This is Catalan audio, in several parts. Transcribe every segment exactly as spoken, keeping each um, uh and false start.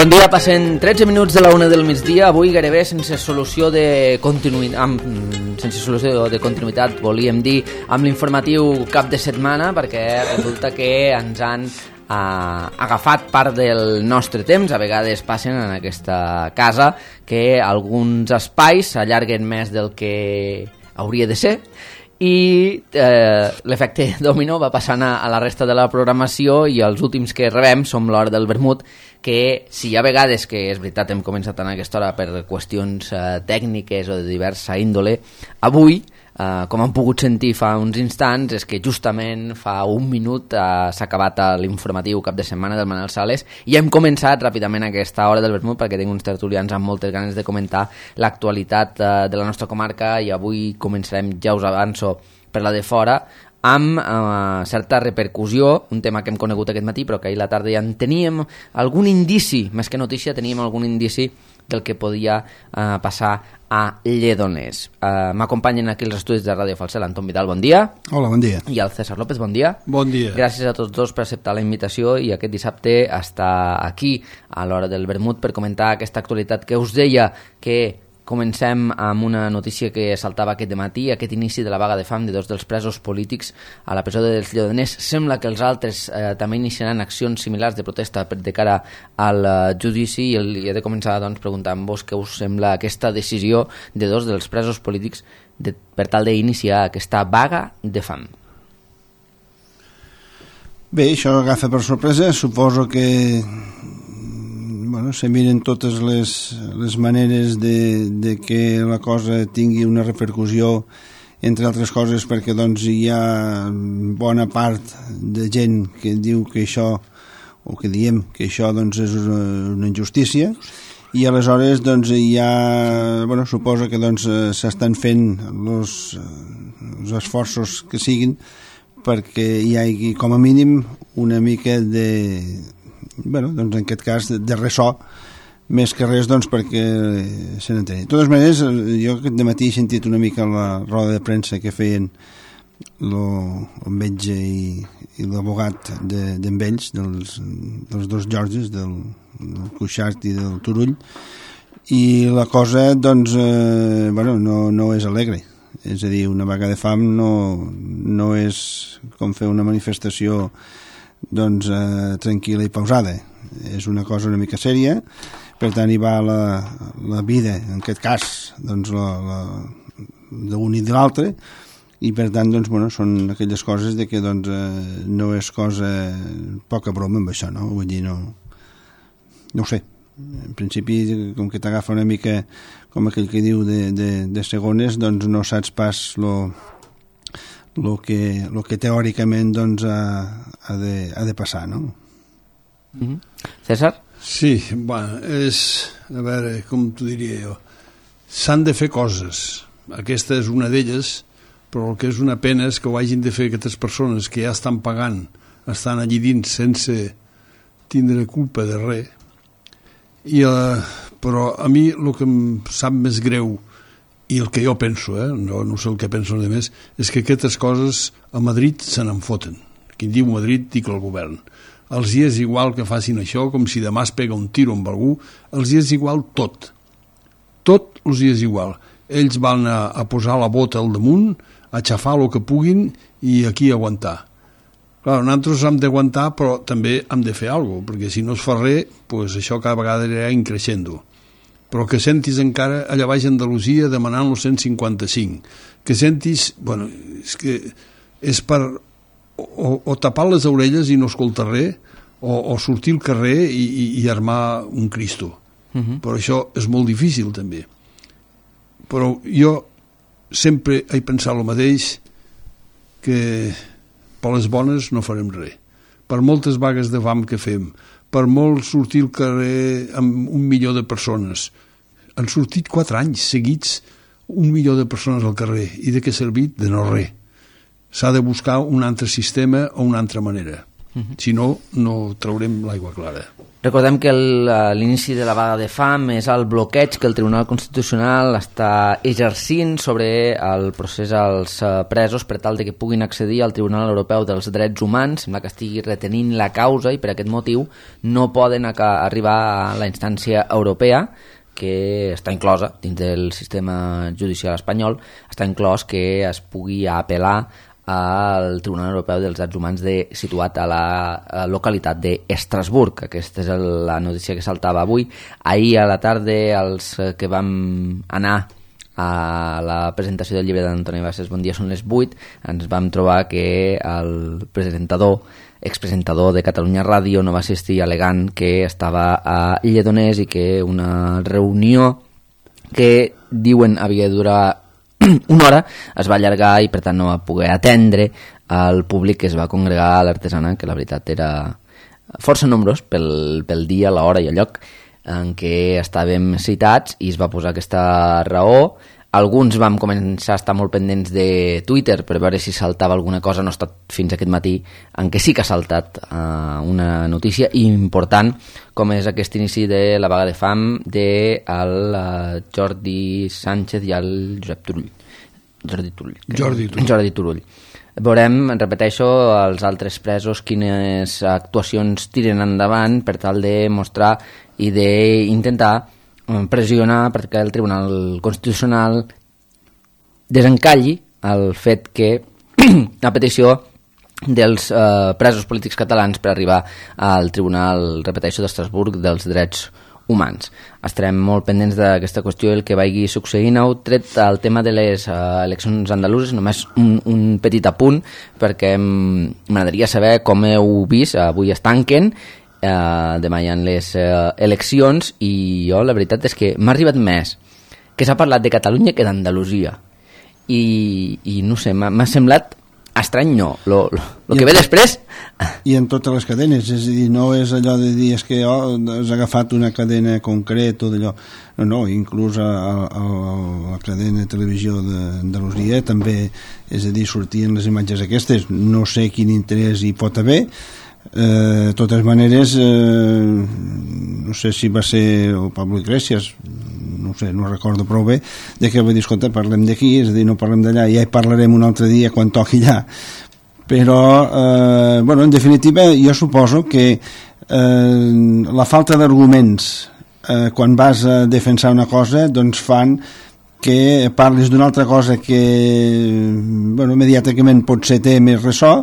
Bon dia, passen tretze minuts de la una del migdia, avui gairebé sense solució de continuïtat, sense solució de continuïtat, volíem dir, amb l'informatiu cap de setmana, perquè resulta que ens han eh, agafat part del nostre temps. A vegades passen en aquesta casa que alguns espais s'allarguen més del que hauria de ser, i eh, l'efecte dominó va passant a, a la resta de la programació, i els últims que rebem som l'hora del vermut, que si hi ha vegades que és veritat hem començat en aquesta hora per qüestions eh, tècniques o de diversa índole, avui, eh, com han pogut sentir fa uns instants, és que justament fa un minut eh, s'ha acabat l'informatiu cap de setmana del Manel Sales i hem començat ràpidament aquesta hora del vermut perquè tinc uns tertulians amb moltes ganes de comentar l'actualitat eh, de la nostra comarca, i avui començarem, ja us avanço, per la de fora, amb eh, certa repercussió, un tema que hem conegut aquest matí però que ahir a la tarda ja en teníem algun indici, més que notícia teníem algun indici del que podia eh, passar a Lledoners. Eh, m'acompanyen aquí els estudis de Ràdio Falset l'Anton Vidal, bon dia. Hola, bon dia. I el César López, bon dia. Bon dia. Gràcies a tots dos per acceptar la invitació i aquest dissabte estar aquí a l'hora del vermut per comentar aquesta actualitat que us deia que comencem amb una notícia que saltava aquest dematí, aquest inici de la vaga de fam de dos dels presos polítics a la presó dels Lledoners. Sembla que els altres eh, també iniciaran accions similars de protesta de cara al uh, judici, i, el, i he de començar doncs, preguntant-vos què us sembla aquesta decisió de dos dels presos polítics de, per tal d'iniciar aquesta vaga de fam. Bé, això agafa per sorpresa. Suposo que bueno, se miren totes les, les maneres de, de que la cosa tingui una repercussió, entre altres coses perquè doncs, hi ha bona part de gent que diu que això, o que diem que això doncs, és una, una injustícia, i aleshores doncs, hi ha, bueno, suposo que doncs, s'estan fent els, els esforços que siguin perquè hi hagi com a mínim una mica de... bueno, doncs en aquest cas de, de ressò, més que res doncs perquè se n'entén. De totes maneres, jo aquest dematí he sentit una mica la roda de premsa que feien lo, el metge i, i l'abogat d'en de, Vells, dels, dels dos Georges, del, del Cuixart i del Turull, i la cosa doncs eh, bueno, no, no és alegre. És a dir, una vaga de fam no, no és com fer una manifestació doncs eh, tranquil·la i pausada. És una cosa una mica sèria, per tant hi va la, la vida, en aquest cas doncs d'un i de l'altre, i per tant doncs, bueno, són aquelles coses de que doncs, eh, no és cosa poca broma amb això, no? Vull dir, no, no ho sé, en principi com que t'agafa una mica com aquell que diu de, de, de segones, doncs no saps pas lo el que, lo que teòricament doncs, ha, ha, de, ha de passar, no? Mm-hmm. César? Sí, bueno, és, a veure, com t'ho diria jo, s'han de fer coses, aquesta és una d'elles, però el que és una pena és que ho hagin de fer aquestes persones que ja estan pagant, estan allí dins sense tindre culpa de res, i, uh, però a mi el que em sap més greu i el que jo penso, eh? no, no sé el que penso de més, és que aquestes coses a Madrid se n'en foten. Qui diu Madrid dic el govern. Els hi és igual que facin això, com si demà es pega un tiro amb algú, els hi és igual tot. Tot els hi és igual. Ells van a, a posar la bota al damunt, a xafar el que puguin i aquí aguantar. Clar, nosaltres hem d'aguantar, però també hem de fer alguna cosa, perquè si no es fa res, pues això cada vegada anirà increixent-ho. Però que sentis encara allà baix a Andalusia demanant el cent cinquanta-cinc, que sentis, bueno, és que és per o, o tapar les orelles i no escoltar res, o, o sortir al carrer i, i, i armar un Cristo. Uh-huh. Però això és molt difícil també. Però jo sempre he pensat el mateix, que per les bones no farem res. Per moltes vagues de fam que fem, per molt sortir al carrer amb un milió de persones. Han sortit quatre anys seguits un milió de persones al carrer. I de què ha servit? De no res. S'ha de buscar un altre sistema o una altra manera. Uh-huh. Si no, no traurem l'aigua clara. Recordem que l'inici de la vaga de fam és el bloqueig que el Tribunal Constitucional està exercint sobre el procés als presos per tal de que puguin accedir al Tribunal Europeu dels Drets Humans. Sembla que estigui retenint la causa i per aquest motiu no poden arribar a la instància europea, que està inclosa dins del sistema judicial espanyol, està inclòs que es pugui apel·lar al Tribunal Europeu dels Drets Humans de, situat a la, a la localitat d'Estrasburg. Aquesta és la notícia que saltava avui. Ahir a la tarda, els que vam anar a la presentació del llibre d'Antoni Bassés, Bon dia, són les vuit, ens vam trobar que el presentador, expresentador de Catalunya Ràdio, no va assistir al·legant que estava a Lledoners i que una reunió que diuen havia de durar una hora es va allargar i per tant no va poder atendre al públic que es va congregar a l'Artesana, que la veritat era força nombrós pel, pel dia, l'hora i el lloc en què estàvem citats, i es va posar aquesta raó. Alguns vam començar a estar molt pendents de Twitter per veure si saltava alguna cosa. No ha estat fins aquest matí en què sí que ha saltat uh, una notícia important, com és aquest inici de la vaga de fam de el, uh, Jordi Sánchez i el Josep Turull. Jordi Turull. Jordi Turull. Jordi Turull. Veurem, repeteixo, els altres presos quines actuacions tiren endavant per tal de mostrar i d'intentar pressionar perquè el Tribunal Constitucional desencalli el fet que la petició dels eh, presos polítics catalans per arribar al Tribunal, repeteixo, d'Estrasburg dels Drets Humans. Estarem molt pendents d'aquesta qüestió, el que vagi succeint. Heu tret el tema de les eh, eleccions andaluses, només un, un petit apunt, perquè m'agradaria saber com heu vist, avui es tanquen, Uh, demà hi ha les uh, eleccions, i jo la veritat és que m'ha arribat més que s'ha parlat de Catalunya que d'Andalusia, i, i no sé, m'ha semblat estrany, no, lo, lo, lo que ve després. I en totes les cadenes, és a dir, no és allò de dir és que oh, has agafat una cadena concreta o d'allò, no, no, inclús a, a, a la cadena de televisió d'Andalusia també, és a dir, sortien les imatges aquestes, no sé quin interès hi pot haver. De eh, totes maneres, eh, no sé si va ser el Pablo Iglesias, no sé, no recordo prou bé, de que va dir, escolta, parlem d'aquí, és a dir, no parlem d'allà, ja hi parlarem un altre dia quan toqui allà. Però, eh, bueno, en definitiva, jo suposo que eh, la falta d'arguments eh, quan vas a defensar una cosa, doncs fan que parlis d'una altra cosa que, bueno, mediàticament potser té més ressò,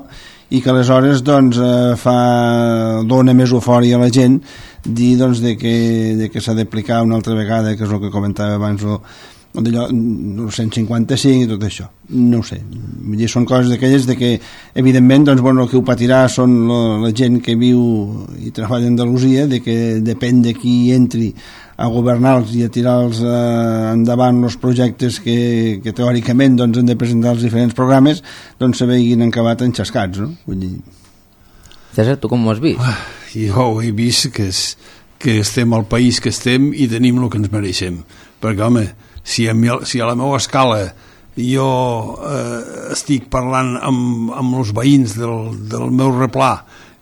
i que aleshores doncs, eh, fa, dona més eufòria a la gent dir doncs, de que, de que s'ha d'aplicar una altra vegada, que és el que comentava abans, o, o d'allò, el cent cinquanta-cinc i tot això. No ho sé, vull dir, són coses d'aquelles de que, evidentment, doncs, bueno, el que ho patirà són la, la gent que viu i treballa a Andalusia, de que depèn de qui entri a governar-los i a tirar-los eh, endavant els projectes que, que teòricament doncs, han de presentar els diferents programes, doncs se veguin acabat enxascats, no? Vull dir... César, tu com ho has vist? Ah, jo he vist que, és, que estem al país que estem i tenim el que ens mereixem, perquè home, si a, mi, si a la meva escala jo eh, estic parlant amb, amb els veïns del, del meu replà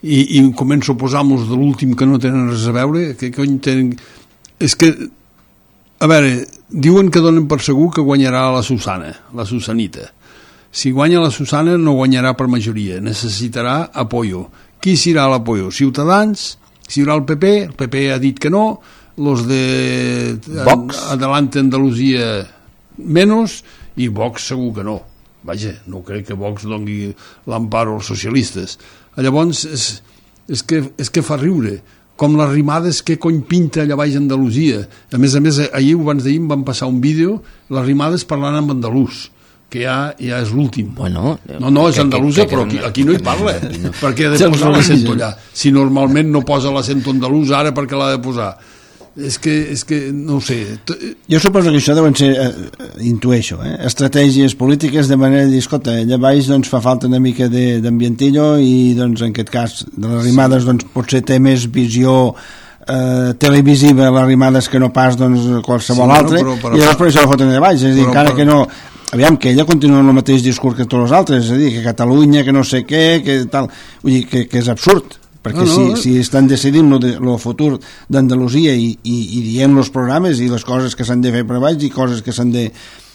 i, i començo a posar-los de l'últim que no tenen res a veure, que cony tenen... És que, a veure, diuen que donen per segur que guanyarà la Susana, la Susanita. Si guanya la Susana no guanyarà per majoria, necessitarà apoyo. Qui serà l'apoyo? Ciutadans? Si hi haurà el P P? El P P ha dit que no, los de Vox? Adelante Andalusia menos, i Vox segur que no. Vaja, no crec que Vox doni l'emparo als socialistes. Llavors, és, és, que, és que fa riure. Com les rimades que cony pinta allà baix a Andalusia. A més a més, ahir abans d'ahir em van passar un vídeo, les rimades parlant amb andalús, que ja, ja és l'últim. Bueno, no, no, és andalusa, però aquí, aquí no hi parla. No. Perquè ha de posar l'accent allà. Si normalment no posa l'accent andalús, ara perquè l'ha de posar. És que, és que no ho sé. Jo suposo que això deuen ser, eh, intueixo, eh, estratègies polítiques de manera de dir, escolta, allà baix doncs, fa falta una mica d'ambientillo i doncs, en aquest cas de les rimades doncs, potser té més visió eh, televisiva les rimades que no pas doncs, qualsevol sí, altre, no, però, però, i llavors per això la foten allà baix, és a dir, encara però, que no aviam, que ella continua amb el mateix discurs que tots els altres, és a dir, que Catalunya, que no sé què, que tal, vull dir, que, que és absurd, perquè no, no, si, si estan decidint el futur d'Andalusia i, i, i dient els programes i les coses que s'han de fer per baix i coses que s'han de,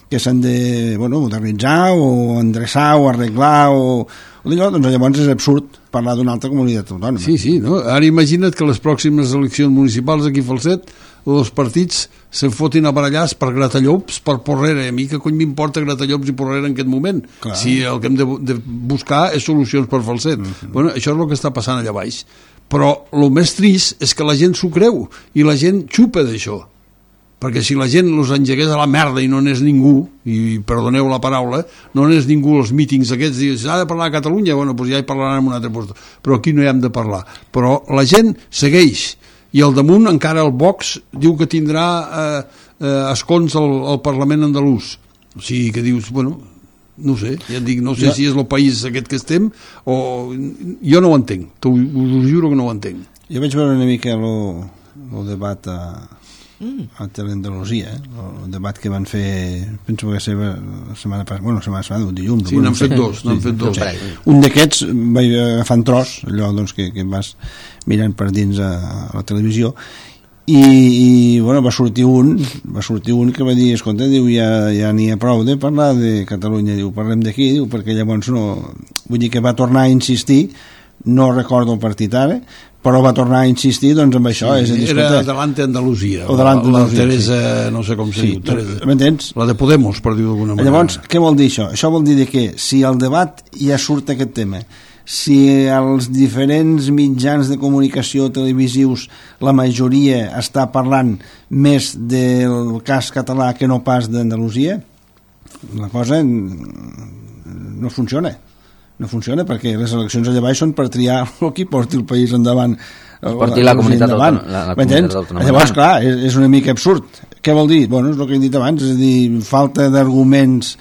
que s'han de bueno, modernitzar o endreçar o arreglar o, o d'allò, doncs llavors és absurd parlar d'una altra comunitat autònoma. Sí, sí, no? Ara imagina't que les pròximes eleccions municipals aquí a Falset els partits se'n fotin a barallars per gratallops, per Porrera. A mi que cony m'importa gratallops i Porrera en aquest moment? Clar. Si el que hem de, de buscar és solucions per Falset. Mm-hmm. Bueno, això és el que està passant allà baix. Però el més trist és que la gent s'ho creu i la gent xupa d'això. Perquè si la gent els engegués a la merda i no n'és ningú, i perdoneu la paraula, no n'és ningú els mítings aquests, i s'ha de parlar a Catalunya, bueno, doncs ja hi parlaran en un altre lloc, però aquí no hi hem de parlar. Però la gent segueix, i al damunt encara el Vox diu que tindrà eh, eh, escons al, al Parlament andalús. O sigui que dius, bueno, no sé, ja et dic, no sé ja. si és el país aquest que estem, o jo no ho entenc, t'ho, us juro que no ho entenc. Jo vaig veure una mica el debat a, a Teleandalusia, eh? el debat que van fer, penso que va ser la setmana passada, bueno, la setmana passada, un dilluns. Sí, n'han fet dos, n'han fet dos. Un d'aquests vaig agafar un tros, allò doncs, que, que vas mirant per dins a, a la televisió, i, i bueno, va sortir un va sortir un que va dir, escolta, diu, ja, ja n'hi ha prou de parlar de Catalunya, diu, parlem d'aquí, diu, perquè llavors no, vull dir que va tornar a insistir, no recordo el partit ara, però va tornar a insistir doncs amb això. Sí, és a dir, era escolta, Adelante Andalusia, o Adelante la, Andalusia, la Teresa, sí. no sé com se sí, diu, Teresa. M'entens? La de Podemos, per dir-ho d'alguna manera. Llavors, què vol dir això? Això vol dir que si al debat ja surt aquest tema, si els diferents mitjans de comunicació televisius, la majoria està parlant més del cas català que no pas d'Andalusia, la cosa no funciona. No funciona perquè les eleccions allà baix són per triar el que porti el país endavant. Porti la comunitat autònoma. Llavors, clar, és, és una mica absurd. Què vol dir? Bueno, és el que he dit abans, és a dir, falta d'arguments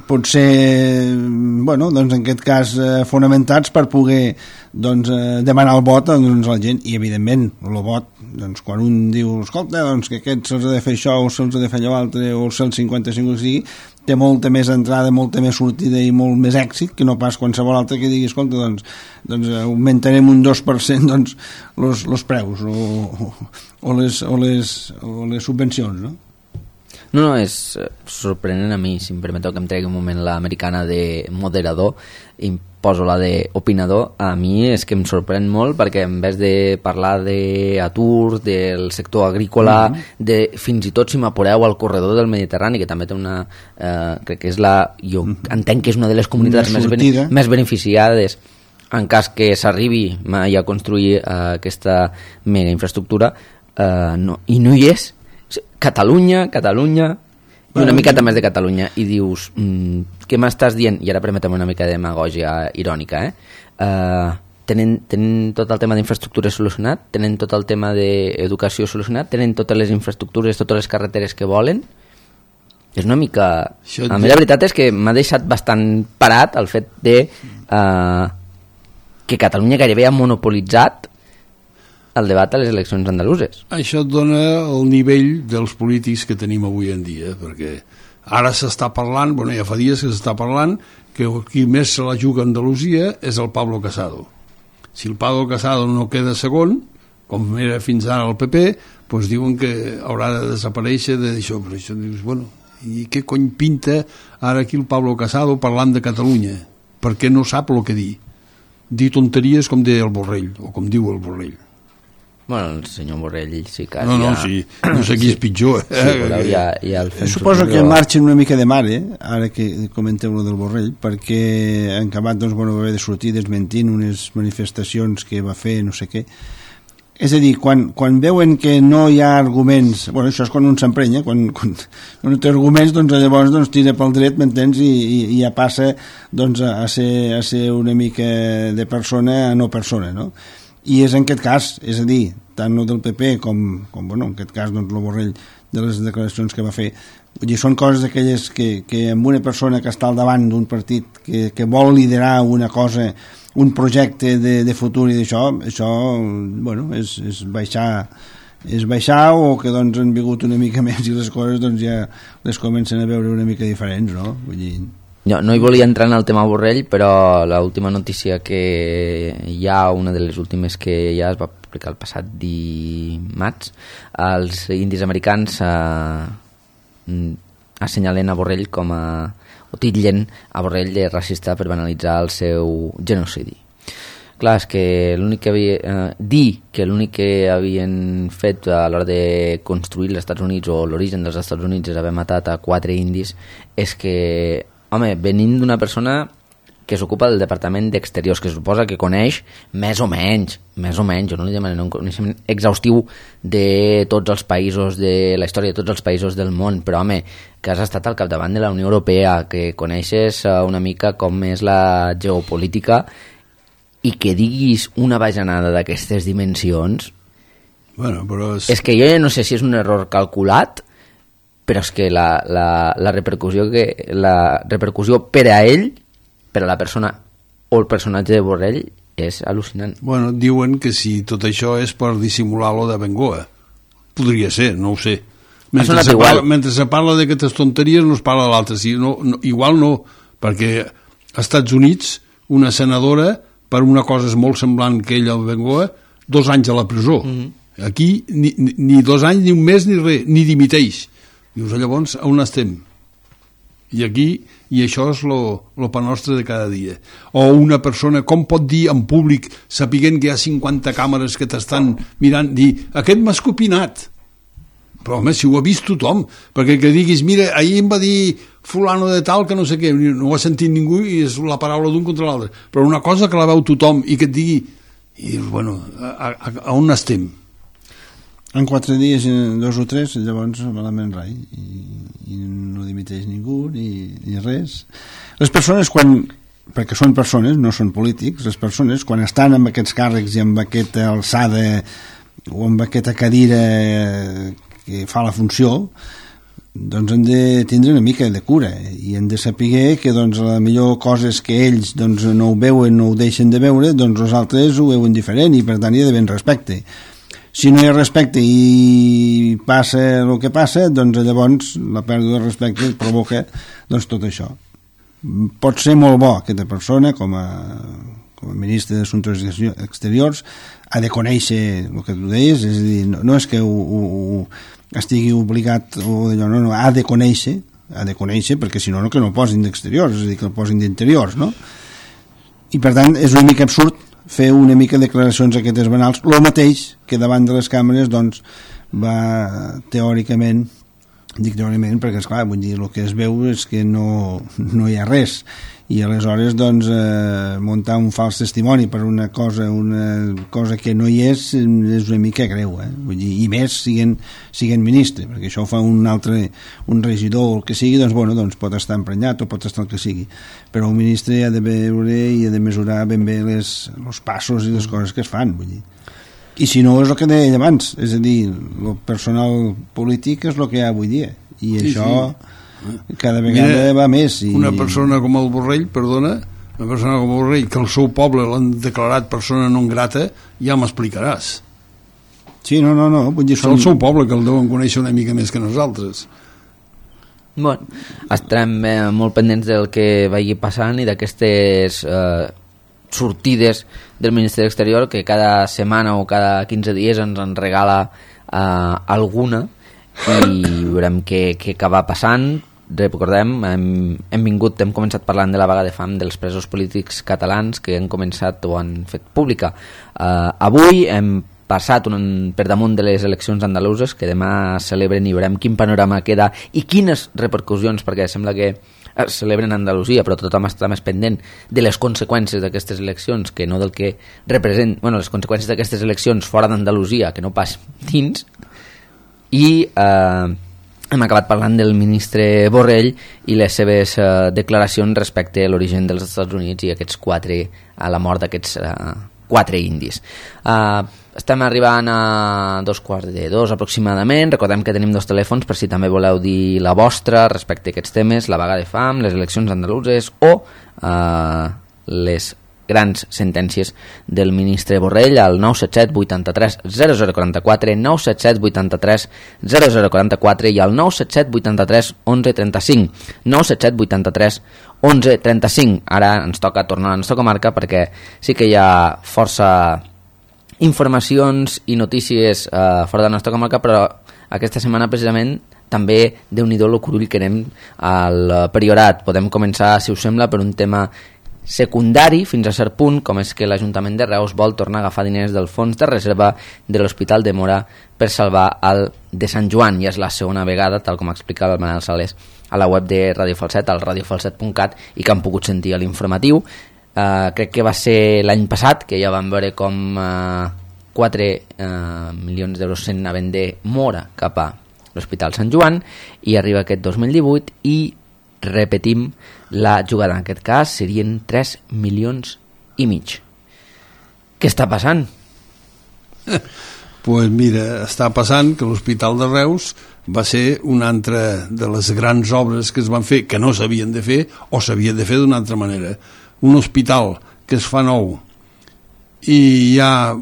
potser, bueno, doncs en aquest cas eh, fonamentats per poder doncs, eh, demanar el vot doncs, a la gent, i evidentment el vot, doncs quan un diu, escolta, doncs que aquest se'ls ha de fer això o se'ls ha de fer allò altre o el cent cinquanta-cinc o sigui, té molta més entrada, molta més sortida i molt més èxit que no pas qualsevol altre que digui, escolta, doncs, doncs augmentarem un dos per cent doncs, los, los preus o, o, o, les, o, les, o les subvencions, no? No, no, és sorprenent a mi, si em permeteu que em tregui un moment l'americana de moderador i em poso la d'opinador. A mi és que em sorprèn molt perquè en vez de parlar d'atur, del sector agrícola, mm-hmm. de fins i tot si m'apureu al corredor del Mediterrani, que també té una... Eh, crec que és la... Jo mm-hmm. entenc que és una de les comunitats més, bene, més beneficiades en cas que s'arribi mai a construir eh, aquesta mega infraestructura, eh, no, i no hi és. Catalunya, Catalunya i una miqueta més de Catalunya i dius, mm, què m'estàs dient? I ara permetem una mica de demagògia irònica, eh? Uh, tenen, tenen tot el tema d'infraestructures solucionat, tenen tot el tema d'educació solucionat, tenen totes les infraestructures, totes les carreteres que volen. És una mica... Això a mi la veritat és que m'ha deixat bastant parat el fet de uh, que Catalunya gairebé ha monopolitzat el debat a les eleccions andaluses. Això et dona el nivell dels polítics que tenim avui en dia, perquè ara s'està parlant, bueno, ja fa dies que s'està parlant, que qui més se la juga a Andalusia és el Pablo Casado. Si el Pablo Casado no queda segon, com era fins ara el P P, doncs diuen que haurà de desaparèixer d'això. Però això dius, bueno, i què cony pinta ara aquí el Pablo Casado parlant de Catalunya? Perquè no sap el que dir. Dir tonteries com deia el Borrell, o com diu el Borrell. Bueno, el senyor Borrell sí que... No, no, ja... sí, no sé qui és pitjor. Eh? Sí, però ja, ja el Suposo que marxen una mica de mare, ara que comenteu lo del Borrell, perquè en acabat doncs, bueno, va haver de sortir desmentint unes manifestacions que va fer, no sé què. És a dir, quan, quan veuen que no hi ha arguments, bueno, això és quan un s'emprenya, quan, quan, quan no té arguments, doncs llavors doncs, tira pel dret, m'entens, i, i, i ja passa doncs, a, ser, a ser una mica de persona a no persona, no? I és en aquest cas, és a dir, tant el del P P com, com bueno, en aquest cas doncs, el Borrell de les declaracions que va fer, vull dir, són coses aquelles que, que amb una persona que està al davant d'un partit que, que vol liderar una cosa, un projecte de, de futur i d'això, això, bueno, és, és baixar és baixar o que doncs han vingut una mica més i les coses doncs ja les comencen a veure una mica diferents, no? Vull dir... No, no hi volia entrar en el tema Borrell, però l'última notícia que hi ha, una de les últimes que ja es va publicar el passat dimarts, els indis americans eh, assenyalen a Borrell com a... o titllen a Borrell de racista per banalitzar el seu genocidi. Clar, és que l'únic que havia... Eh, dir que l'únic que havien fet a l'hora de construir els Estats Units o l'origen dels Estats Units és haver matat a quatre indis, és que... Home, venint d'una persona que s'ocupa del Departament d'Exteriors, que suposa que coneix més o menys, més o menys, jo no li demanaré un coneixement exhaustiu de tots els països, de la història de tots els països del món, però home, que has estat al capdavant de la Unió Europea, que coneixes una mica com és la geopolítica i que diguis una bajanada d'aquestes dimensions, bueno, però és... és que jo ja no sé si és un error calculat, però és que la, la, la repercussió que la repercussió per a ell, per a la persona o el personatge de Borrell és al·lucinant. Bueno, diuen que si tot això és per dissimular lo de Bengoa. Podria ser, no ho sé. Mentre se, parla, mentre se parla d'aquestes tonteries no es parla de l'altre. Si no, no, igual no, perquè als Estats Units una senadora per una cosa molt semblant que ella al Bengoa, dos anys a la presó. Mm-hmm. Aquí ni, ni, ni dos anys, ni un mes, ni res, ni dimiteix. Dius, llavors, on estem? I aquí, i això és lo, lo pa nostre de cada dia. O una persona, com pot dir en públic, sapiguent que hi ha cinquanta càmeres que t'estan mirant, dir, aquest m'ha escopinat. Però, home, si ho ha vist tothom, perquè que diguis, mira, ahir em va dir fulano de tal que no sé què, no ho ha sentit ningú i és la paraula d'un contra l'altre. Però una cosa que la veu tothom i que et digui, i, bueno, a, a, a on estem? En quatre dies, dos o tres, llavors malament rai, i, i no dimiteix ningú ni, ni res. Les persones, quan, perquè són persones, no són polítics, les persones, quan estan amb aquests càrrecs i amb aquesta alçada o amb aquesta cadira que fa la funció, doncs han de tindre una mica de cura i han de saber que doncs, la millor cosa és que ells doncs, no ho veuen, no ho deixen de veure, doncs els altres ho veuen diferent i per tant hi ha d'haver respecte. Si no hi ha respecte i passa el que passa, doncs llavors la pèrdua de respecte provoca doncs, tot això. Pot ser molt bo aquesta persona com a, com a ministre d'Assumptes Exteriors, ha de conèixer el que tu deies, és a dir, no, no és que ho, ho, ho estigui obligat o d'allò, no, no, ha de conèixer, ha de conèixer, perquè si no, no que no el posin d'exteriors, és a dir, que el posin d'interiors, no? I per tant és una mica absurd fer una mica declaracions aquestes banals, el mateix que davant de les càmeres doncs va teòricament, dic teòricament perquè esclar, vull dir, el que es veu és que no, no hi ha res i aleshores doncs eh, muntar un fals testimoni per una cosa una cosa que no hi és és una mica greu, eh? Vull dir, i més siguent, siguent ministre, perquè això ho fa un altre, un regidor o el que sigui, doncs bueno, doncs pot estar emprenyat o pot estar el que sigui, però un ministre ha de veure i ha de mesurar ben bé les, els passos i les coses que es fan, vull dir. I si no és el que deia abans, és a dir, el personal polític és el que hi ha avui dia i sí, això sí. Cada vegada Mira, va més i... una persona com el Borrell, perdona, una persona com el Borrell que el seu poble l'han declarat persona non grata, ja m'explicaràs. Sí, no, no, no vull dir, són... el seu poble que el deuen conèixer una mica més que nosaltres. Bueno, estarem eh, molt pendents del que vagi passant i d'aquestes eh, sortides del Ministeri d'Exterior que cada setmana o cada quinze dies ens en regala eh, alguna i veurem què, què acaba passant. Recordem, hem, hem vingut, hem començat parlant de la vaga de fam dels presos polítics catalans que han començat o han fet pública. Uh, avui hem passat un, per damunt de les eleccions andaluses que demà celebren i veurem quin panorama queda i quines repercussions, perquè sembla que es celebren a Andalusia, però tothom està més pendent de les conseqüències d'aquestes eleccions que no del que representen, bueno, les conseqüències d'aquestes eleccions fora d'Andalusia, que no pas dins. I eh, hem acabat parlant del ministre Borrell i les seves eh, declaracions respecte a l'origen dels Estats Units i aquests quatre, a la mort d'aquests eh, quatre indis. Eh, estem arribant a dos quarts de dos aproximadament. Recordem que tenim dos telèfons per si també voleu dir la vostra respecte a aquests temes, la vaga de fam, les eleccions andaluses o eh, les grans sentències del ministre Borrell al nou set set vuitanta-tres zero zero quaranta-quatre, nou set set vuitanta-tres zero zero quaranta-quatre i al nou set set vuitanta-tres onze trenta-cinc, nou set set vuitanta-tres onze trenta-cinc. Ara ens toca tornar a la nostra comarca perquè sí que hi ha força informacions i notícies eh, fora de la nostra comarca, però aquesta setmana precisament també déu-n'hi-do el curull que anem al Priorat. Podem començar, si us sembla, per un tema secundari fins a cert punt, com és que l'Ajuntament de Reus vol tornar a agafar diners del fons de reserva de l'Hospital de Móra per salvar el de Sant Joan. Ja és la segona vegada, tal com explicava el Manel Sales a la web de Radio Falset, al radio falset punt cat, i que han pogut sentir a l'informatiu. Uh, crec que va ser l'any passat, que ja vam veure com uh, quatre uh, milions d'euros se'n anaven de Móra cap a l'Hospital Sant Joan, i arriba aquest dos mil divuit i repetim la jugada. En aquest cas serien tres milions i mig. Què està passant? Pues mira, està passant que l'Hospital de Reus va ser una altra de les grans obres que es van fer, que no s'havien de fer o s'havien de fer d'una altra manera. Un hospital que es fa nou i hi ha,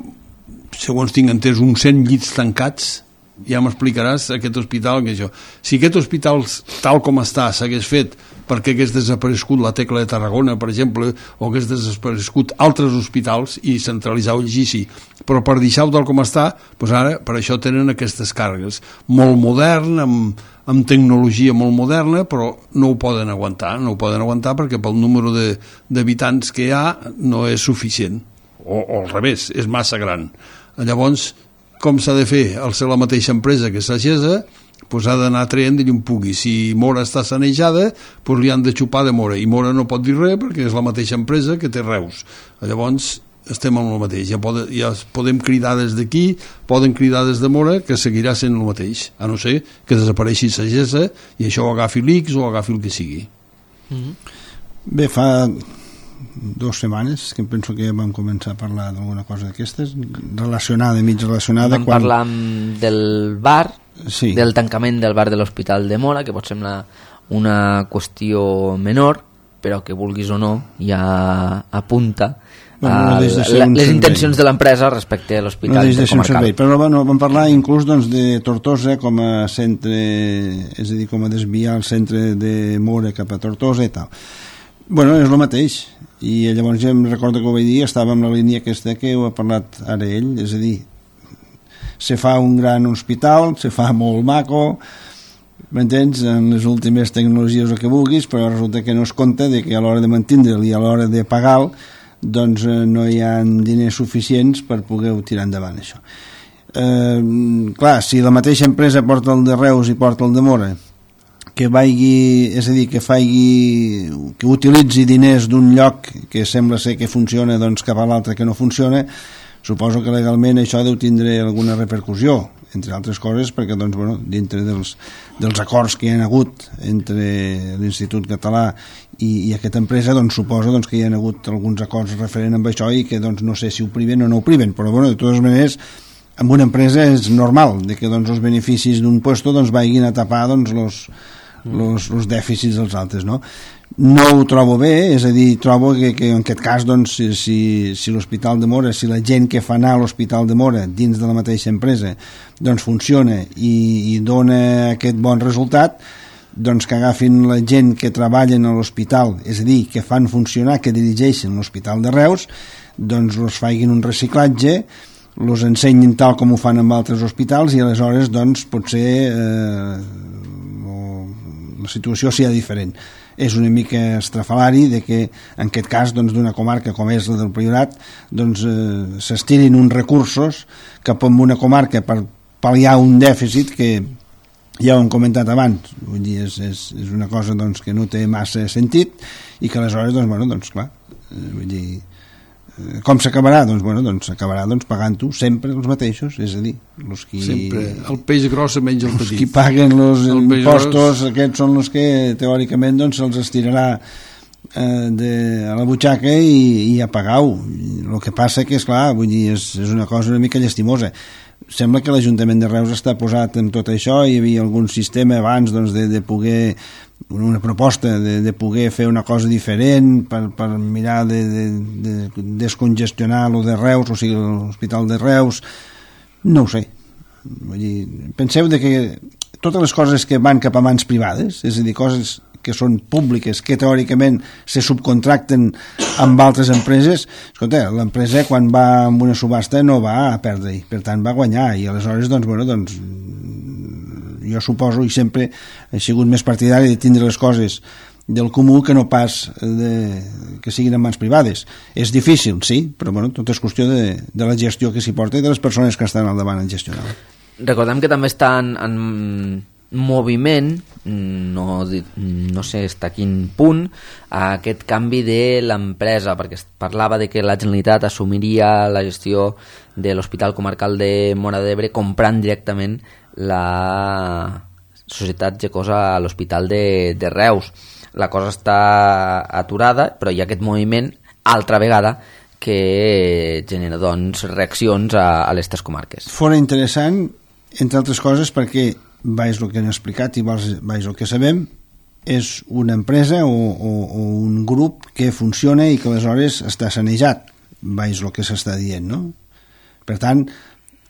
segons tinc entès, uns cent llits tancats. Ja m'explicaràs aquest hospital que això. Si aquest hospital tal com està s'hagués fet perquè hagués desaparegut la Tecla de Tarragona, per exemple, o hagués desaparegut altres hospitals i centralitzar el G I C I, però per deixar-ho tal com està, doncs ara per això tenen aquestes càrregues. Molt modern, amb, amb tecnologia molt moderna, però no ho poden aguantar, no ho poden aguantar perquè pel número d'habitants que hi ha no és suficient, o, o al revés, és massa gran. Llavors, com s'ha de fer? Al ser la mateixa empresa que Sagesa, doncs ha d'anar traient d'allà on pugui. Si Móra està sanejada, doncs li han de xupar de Móra, i Móra no pot dir res perquè és la mateixa empresa que té Reus. Llavors estem amb el mateix. Ja, pod ja podem cridar des d'aquí, poden cridar des de Móra, que seguirà sent el mateix, a no ser que desapareixi Sagesa i això ho agafi l'I X o agafi el que sigui. Mm-hmm. Bé, fa dues setmanes que em penso que ja vam començar a parlar d'alguna cosa d'aquestes relacionada, mig relacionada. Vam quan... parlar del bar, sí. del tancament del bar de l'Hospital de Móra, que pot semblar una qüestió menor, però que vulguis o no ja apunta bueno, no a de la, les intencions de l'empresa respecte a l'hospital no intercomarcal. De però bueno, vam parlar inclús doncs, de Tortosa com a centre, és a dir, com a desviar el centre de Móra cap a Tortosa i tal. Bueno, és el mateix, i llavors ja em recordo que ho vaig dir, estava en la línia aquesta que ho ha parlat ara ell, és a dir, se fa un gran hospital, se fa molt maco, m'entens, en les últimes tecnologies o que vulguis, però resulta que no es compta de que a l'hora de mantindre'l i a l'hora de pagar-lo, doncs no hi ha diners suficients per poder-ho tirar endavant, això. Eh, clar, si la mateixa empresa porta el de Reus i porta el de Móra, que vagi, és a dir, que faci, que utilitzi diners d'un lloc que sembla ser que funciona doncs cap a l'altre que no funciona, suposo que legalment això deu tindre alguna repercussió, entre altres coses perquè doncs, bueno, dintre dels, dels acords que hi ha hagut entre l'Institut Català i, i aquesta empresa, doncs suposo doncs, que hi ha hagut alguns acords referent amb això i que doncs, no sé si ho priven o no ho priven, però bueno, de totes maneres amb una empresa és normal de que doncs, els beneficis d'un puesto doncs, vagin a tapar doncs, los, los, los dèficits dels altres, no? No ho trobo bé, és a dir, trobo que, que en aquest cas doncs, si, si, si l'Hospital de Móra, si la gent que fa anar a l'Hospital de Móra dins de la mateixa empresa doncs funciona i, i dona aquest bon resultat, doncs que agafin la gent que treballen a l'hospital, és a dir, que fan funcionar, que dirigeixen l'Hospital de Reus, doncs els facin un reciclatge, els ensenyin tal com ho fan amb altres hospitals i aleshores doncs potser eh, la situació sigui diferent. És una mica estrafalari de que en aquest cas doncs, d'una comarca com és la del Priorat doncs eh, s'estirin uns recursos cap a una comarca per pal·liar un dèficit que ja ho hem comentat abans, vull dir, és, és, és una cosa doncs, que no té massa sentit i que aleshores doncs, bueno, doncs clar, eh, vull dir, com s'acabarà? Doncs, bueno, doncs s'acabarà doncs, pagant-ho sempre els mateixos, és a dir, els qui... Sempre, el peix gros menja el petit. Els qui paguen els impostos, aquests són els que teòricament doncs, se'ls estirarà eh, de, a la butxaca i, i a pagar-ho. El que passa que, esclar, vull dir, és, és una cosa una mica llastimosa. Sembla que l'Ajuntament de Reus està posat en tot això, hi havia algun sistema abans doncs, de, de poder una proposta de, de poder fer una cosa diferent per, per mirar de, de, de descongestionar lo de Reus, o sigui, l'Hospital de Reus, no ho sé. Vull dir, penseu de que totes les coses que van cap a mans privades, és a dir, coses que són públiques, que teòricament se subcontracten amb altres empreses, escolta, l'empresa quan va amb una subhasta no va a perdre, per tant va guanyar, i aleshores, doncs, bueno, doncs, jo suposo, i sempre he sigut més partidari de tindre les coses del comú que no pas de, que siguin en mans privades. És difícil, sí, però bueno, tot és qüestió de, de la gestió que s'hi porta i de les persones que estan al davant en gestionar. Recordem que també està en, en moviment, no, no sé fins a quin punt, aquest canvi de l'empresa, perquè es parlava de que la Generalitat assumiria la gestió de l'Hospital Comarcal de Móra d'Ebre comprant directament la societat Gecosa a l'Hospital de, de Reus. La cosa està aturada, però hi ha aquest moviment altra vegada que genera doncs, reaccions a, a les tres comarques. Fora interessant, entre altres coses, perquè vaig el que han explicat i vaig el que sabem, és una empresa o, o, o un grup que funciona i que aleshores està sanejat, vaig el que s'està dient, no? Per tant,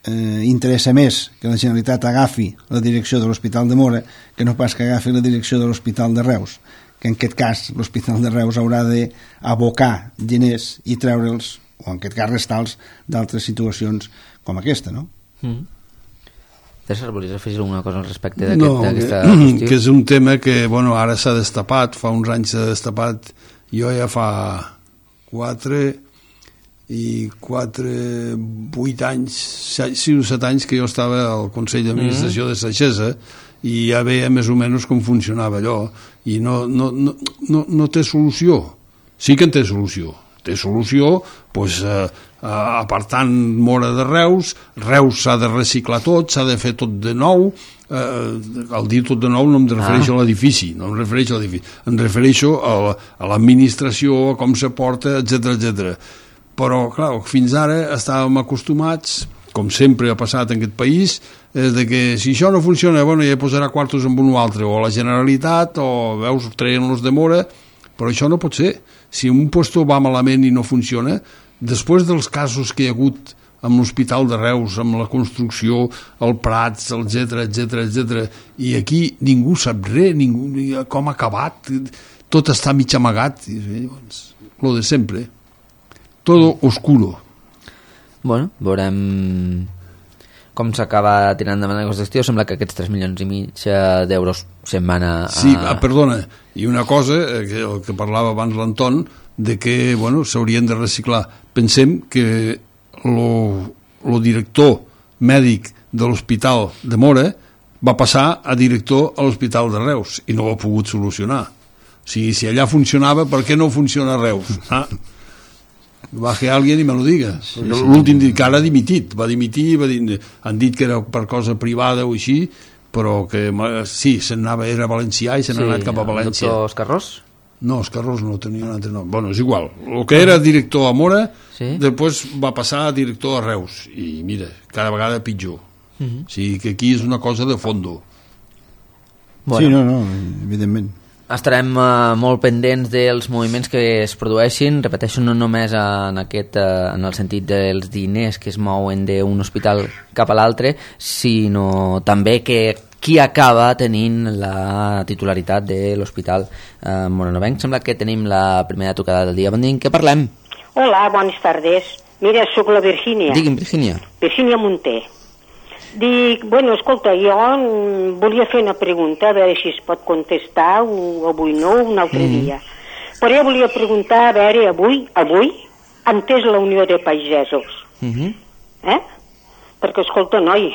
eh, interessa més que la Generalitat agafi la direcció de l'Hospital de Móra que no pas que agafi la direcció de l'Hospital de Reus, que en aquest cas l'Hospital de Reus haurà d'abocar diners i treure'ls, o en aquest cas restar-los, d'altres situacions com aquesta, no? Mm. César, volies afegir alguna cosa al respecte d'aquesta no, qüestió? Que és un tema que bueno, ara s'ha destapat, fa uns anys s'ha destapat, jo ja fa quatre i quatre, vuit anys, sis o set anys que jo estava al Consell d'Administració mm. de Saixesa i ja veia més o menys com funcionava allò i no, no, no, no, no té solució. Sí que en té solució. Té solució, doncs, eh, apartant Móra de Reus, Reus s'ha de reciclar tot, s'ha de fer tot de nou, eh, al dir tot de nou no em refereixo ah. a l'edifici, no em refereixo a l'edifici, em refereixo a, a l'administració, a com se porta, etcètera, etcètera. Però, clar, fins ara estàvem acostumats, com sempre ha passat en aquest país, és de que si això no funciona, bueno, ja posarà quartos amb un o altre, o la Generalitat, o veus, treien-los de Móra, però això no pot ser. Si un puesto va malament i no funciona, després dels casos que hi ha hagut amb l'Hospital de Reus, amb la construcció, el Prats, etcètera, etcètera, etcètera, i aquí ningú sap res, ningú, com ha acabat, tot està mig amagat, i llavors, lo de sempre, todo oscuro. Bueno, veurem com s'acaba tirant endavant aquesta qüestió. Sembla que aquests tres milions i mig d'euros se'n van a... Sí, perdona, i una cosa, que el que parlava abans l'Anton, de que, bueno, s'haurien de reciclar. Pensem que el director mèdic de l'Hospital de Móra va passar a director a l'Hospital de Reus i no ho ha pogut solucionar. O sigui, si allà funcionava, per què no funciona a Reus? Ah, va que alguien i me lo diga. Sí, sí, l'últim dit que ara ha dimitit, va dimitir, va dir, han dit que era per cosa privada o així, però que sí, se'n anava, era valencià i se n'ha sí, anat cap a València. El doctor Escarrós? No, Escarrós no tenia un altre nom. Bueno, és igual. El que era director a Móra, sí? Després va passar a director a Reus. I mira, cada vegada pitjor. Uh -huh. O sigui que aquí és una cosa de fondo. Bueno. Sí, no, no, evidentment. Estarem uh, molt pendents dels moviments que es produeixin, repeteixo, no només en, aquest, uh, en el sentit dels diners que es mouen d'un hospital cap a l'altre, sinó també que qui acaba tenint la titularitat de l'Hospital uh, Moranovenc. Sembla que tenim la primera tocada del dia. Bon dia, en què parlem? Hola, bones tardes. Mira, sóc la Virgínia. Digui'm, Virgínia. Virgínia Munté. Dic, bueno, escolta, jo volia fer una pregunta, a veure si es pot contestar, o avui no, un altre mm. dia. Però jo volia preguntar, a veure, avui, avui, on és la Unió de Pagesos? Mm -hmm. Eh? Perquè, escolta, noi,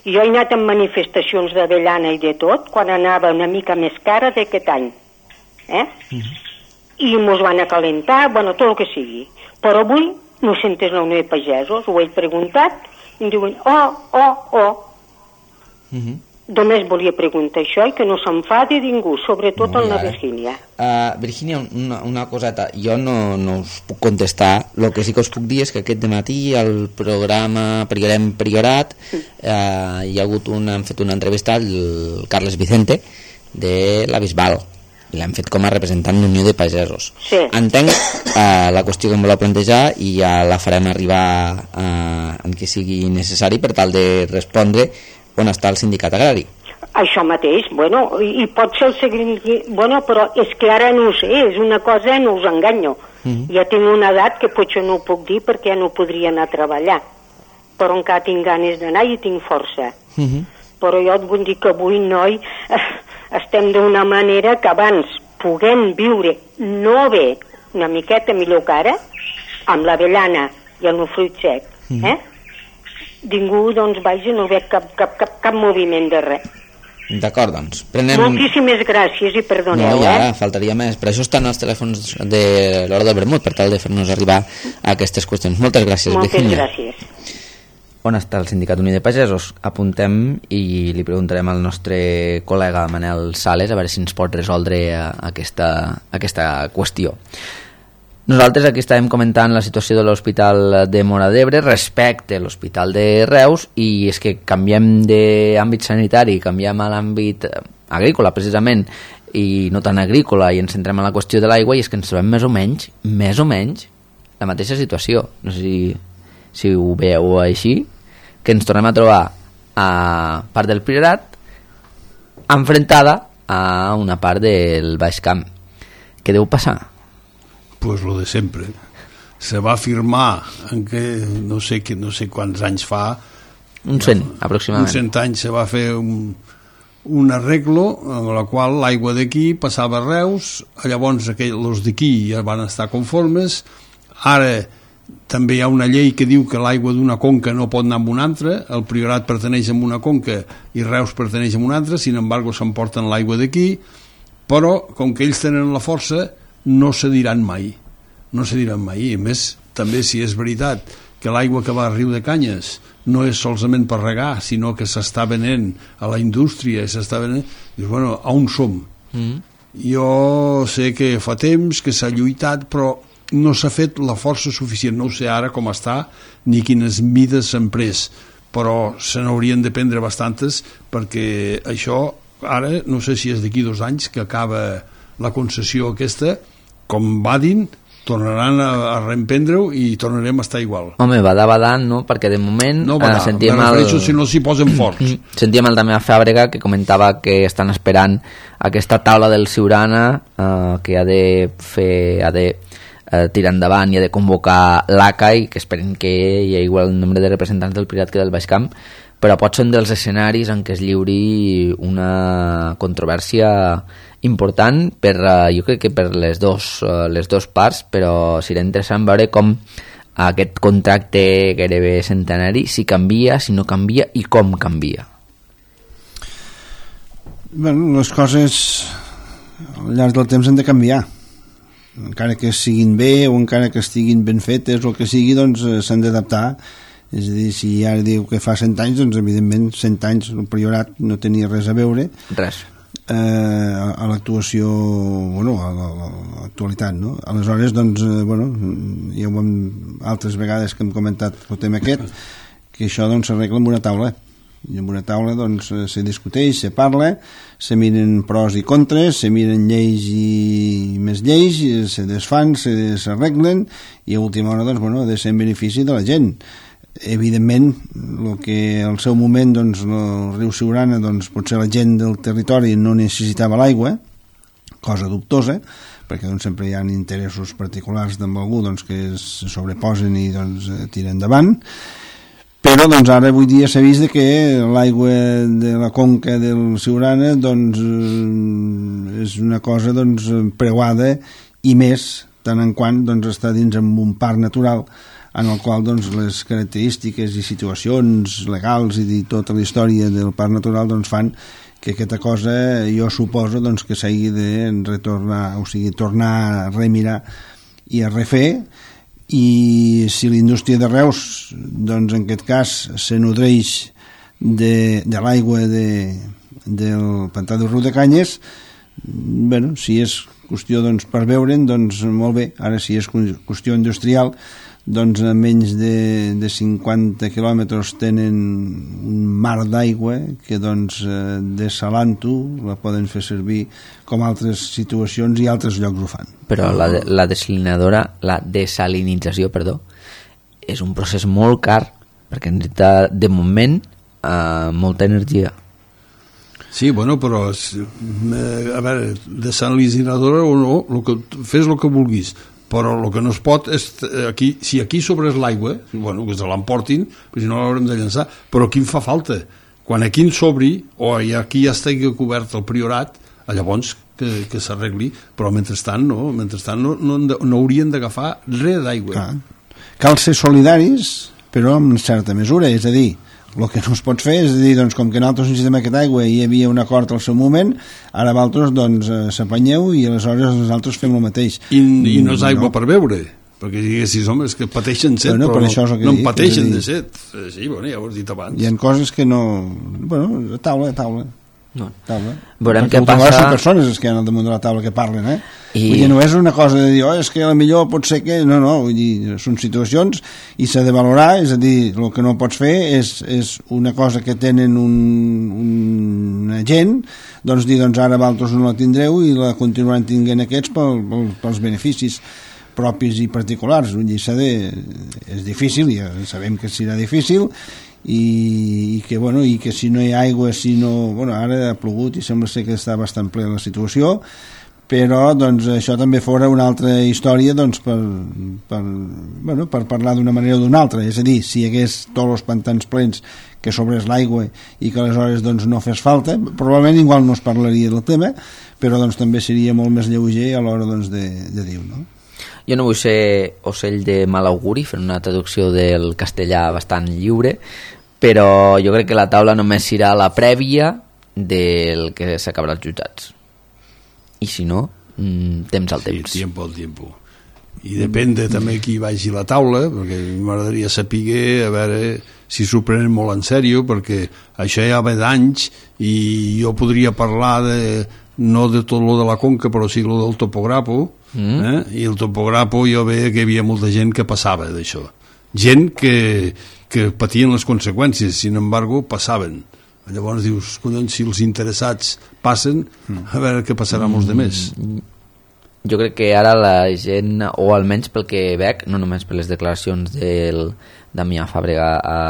jo he anat en manifestacions d'avellana i de tot, quan anava una mica més cara d'aquest any. Eh? Mm -hmm. I mos van acalentar, bueno, tot el que sigui. Però avui no sentes la Unió de Pagesos, ho he preguntat, i em diuen, oh, oh, oh. Mm-hmm. Només volia preguntar això i que no s'enfadi ningú, sobretot en la Virgínia. Uh, Virgínia, una, una coseta, jo no, no us puc contestar, el que sí que us puc dir és que aquest dematí al programa Priorem Priorat mm. uh, hi ha hagut una, hem fet una entrevista al Carles Vicente de la Bisbal i l'hem fet com a representant d'Unió de Pagesos. Sí. Entenc eh, la qüestió que em voleu plantejar i ja la farem arribar eh, en què sigui necessari per tal de respondre on està el sindicat agrari. Això mateix, bueno, i, i pot ser el següent... Bueno, però és que ara no ho sé, és una cosa, no us enganyo. Mm-hmm. Ja tinc una edat que potser no ho puc dir perquè ja no podria anar a treballar. Però encara tinc ganes d'anar i tinc força. Mm-hmm. Però jo et vull dir que avui, noi, estem d'una manera que abans puguem viure no bé, una miqueta millor que ara, amb l'avellana i el fruit sec, mm-hmm. eh? Ningú, doncs, vaja, no veig cap, cap, cap, cap moviment de res. D'acord, doncs. Prenem... Moltíssimes gràcies i perdoneu, no, ja, eh? faltaria més. Per això estan els telèfons de l'Hora del Vermut, per tal de fer-nos arribar a aquestes qüestions. Moltes gràcies, Moltes Virginia. gràcies. On està el Sindicat Unió de Pagesos? Apuntem i li preguntarem al nostre col·lega Manel Sales a veure si ens pot resoldre aquesta, aquesta qüestió. Nosaltres aquí estàvem comentant la situació de l'Hospital de Móra d'Ebre respecte a l'Hospital de Reus, i és que canviem d'àmbit sanitari, canviem a l'àmbit agrícola precisament, i no tan agrícola, i ens centrem en la qüestió de l'aigua, i és que ens trobem més o menys, més o menys, la mateixa situació. No sé si, si ho veieu així, que ens tornem a trobar a part del Priorat enfrontada a una part del Baix Camp. Què deu passar? Pues lo de sempre. Se va afirmar en que no sé, que, no sé quants anys fa, un cent, aproximadament. Un cent anys se va fer un, un arreglo en la qual l'aigua d'aquí passava a Reus, llavors els d'aquí ja van estar conformes. Ara també hi ha una llei que diu que l'aigua d'una conca no pot anar amb una altra, el Priorat perteneix a una conca i Reus perteneix a una altra, sin embargo s'emporten l'aigua d'aquí, però com que ells tenen la força no se diran mai, no se diran mai. A més, també si és veritat que l'aigua que va al riu de Canyes no és solament per regar, sinó que s'està venent a la indústria, s'està venent, dius, bueno, on som? Mm. Jo sé que fa temps que s'ha lluitat, però no s'ha fet la força suficient. No ho sé ara com està, ni quines mides s'han pres, però se n'haurien de prendre bastantes, perquè això, ara, no sé si és d'aquí dos anys que acaba la concessió aquesta, com badin, tornaran a, a reemprendre-ho i tornarem a estar igual. Home, badar, badant, no? Perquè de moment no badar, eh, sentíem me refereixo el... si no s'hi posen forts. Sentíem el Damià Fàbrega que comentava que estan esperant aquesta taula del Siurana eh, que ha de fer, ha de eh, tirar endavant i ha de convocar l'A C A i que esperen que hi hagi igual el nombre de representants del Priorat que del Baix Camp, però pot ser un dels escenaris en què es lliuri una controvèrsia important per, uh, jo crec que per les dos, uh, les dos parts, però serà interessant veure com aquest contracte gairebé centenari, si canvia, si no canvia i com canvia. Bueno, les coses al llarg del temps han de canviar, encara que siguin bé o encara que estiguin ben fetes o que sigui, doncs s'han d'adaptar. És a dir, si ara diu que fa cent anys, doncs evidentment cent anys el Priorat no tenia res a veure res eh, a, a l'actuació, bueno, a l'actualitat, no? Aleshores, doncs, eh, bueno, ja ho hem altres vegades que hem comentat el tema aquest, que això doncs s'arregla amb una taula, i amb una taula doncs se discuteix, se parla, se miren pros i contres, se miren lleis i més lleis, se desfan, se s'arreglen, i a última hora doncs, bueno, ha de ser en benefici de la gent. Evidentment, el que al seu moment doncs, el riu Siurana, doncs, potser la gent del territori no necessitava l'aigua, cosa dubtosa, perquè doncs, sempre hi ha interessos particulars d'en algú doncs, que es sobreposen i doncs, tiren endavant, però doncs, ara avui dia s'ha vist que l'aigua de la conca del Siurana doncs, és una cosa doncs, preuada, i més tant en quant doncs, està dins en un parc natural en el qual doncs, les característiques i situacions legals i tota la història del parc natural doncs, fan que aquesta cosa jo suposo doncs, que s'hagi de retornar, o sigui, tornar a remirar i a refer, i si la indústria de Reus doncs, en aquest cas se nodreix de, de l'aigua de, del pantà del riu de Canyes, bueno, si és qüestió doncs, per veure'n, doncs molt bé. Ara si és qüestió industrial, doncs a menys de, de cinquanta quilòmetres tenen un mar d'aigua que doncs eh, dessalant-ho la poden fer servir com altres situacions i altres llocs ho fan. Però la, de, la desalinadora, la desalinització, perdó, és un procés molt car perquè necessita de moment eh, molta energia. Sí, bueno, però eh, a veure, desalinadora o no, lo que, fes el que vulguis, però el que no es pot és aquí, si aquí sobres l'aigua, bueno, que se l'emportin, però si no l'haurem de llançar, però aquí em fa falta, quan aquí en sobri o aquí ja estigui cobert el priorat, llavors que, que s'arregli, però mentrestant no, mentrestant no, no, no haurien d'agafar res d'aigua. Cal ser solidaris, però en certa mesura, és a dir, el que no es pot fer és dir, doncs, com que nosaltres necessitem aquesta aigua i hi havia un acord al seu moment, ara vosaltres doncs, s'apanyeu i aleshores nosaltres fem el mateix. I, i no és aigua no. per beure, perquè diguessis, home, és que pateixen set, bueno, però per no, no en pateixen dir, de set. Sí, bueno, ja ho has dit abans. Hi ha coses que no... Bueno, a taula, a taula. No. taula. Veurem perquè què passa... són persones que hi ha al damunt de la taula que parlen, eh? I... Vull dir, no és una cosa de dir, oh, és que a la millor pot ser que... No, no, vull dir, són situacions i s'ha de valorar, és a dir, el que no pots fer és, és una cosa que tenen un, un agent, doncs dir, doncs ara vosaltres no la tindreu i la continuaran tinguent aquests pel, pel, pels beneficis propis i particulars. Vull dir, s'ha de... És difícil, ja sabem que serà difícil, i, i que bueno, i que si no hi ha aigua, si no, bueno, ara ha plogut i sembla ser que està bastant ple la situació, però doncs això també fora una altra història doncs per, per, bueno, per parlar d'una manera o d'una altra, és a dir, si hi hagués tots els pantans plens que sobrés l'aigua i que aleshores doncs no fes falta, probablement igual no es parlaria del tema, però doncs també seria molt més lleuger a l'hora doncs de, de dir, no? Jo no vull ser ocell de mal auguri, fent una traducció del castellà bastant lliure, però jo crec que la taula només serà la prèvia del que s'acabarà als jutjats. I si no, temps al temps. Sí, tiempo al tiempo. I depèn de també qui vagi a la taula, perquè m'agradaria saber a veure si s'ho prenen molt en sèrio, perquè això ja ve d'anys i jo podria parlar de, no de tot lo de la conca, però sí lo del topograpo, mm. eh? I el topograpo jo veia que hi havia molta gent que passava d'això. Gent que, que patien les conseqüències, sin embargo, passaven. Llavors dius, collons, si els interessats passen, a veure què passarà amb els demés. Jo crec que ara la gent, o almenys pel que veig, no només per les declaracions del Damià Fàbrega a,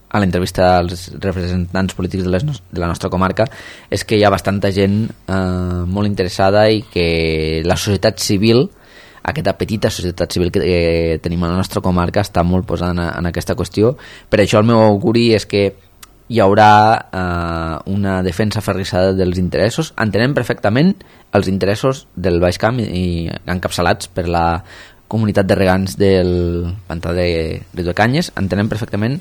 a l'entrevista als representants polítics de, les, de la nostra comarca, és que hi ha bastanta gent eh, molt interessada i que la societat civil, aquesta petita societat civil que eh, tenim a la nostra comarca, està molt posada en, en aquesta qüestió. Per això el meu auguri és que hi haurà eh, una defensa aferrissada dels interessos. Entenem perfectament els interessos del Baix Camp i, i encapçalats per la comunitat de regants del pantà de Riudecanyes, entenem perfectament,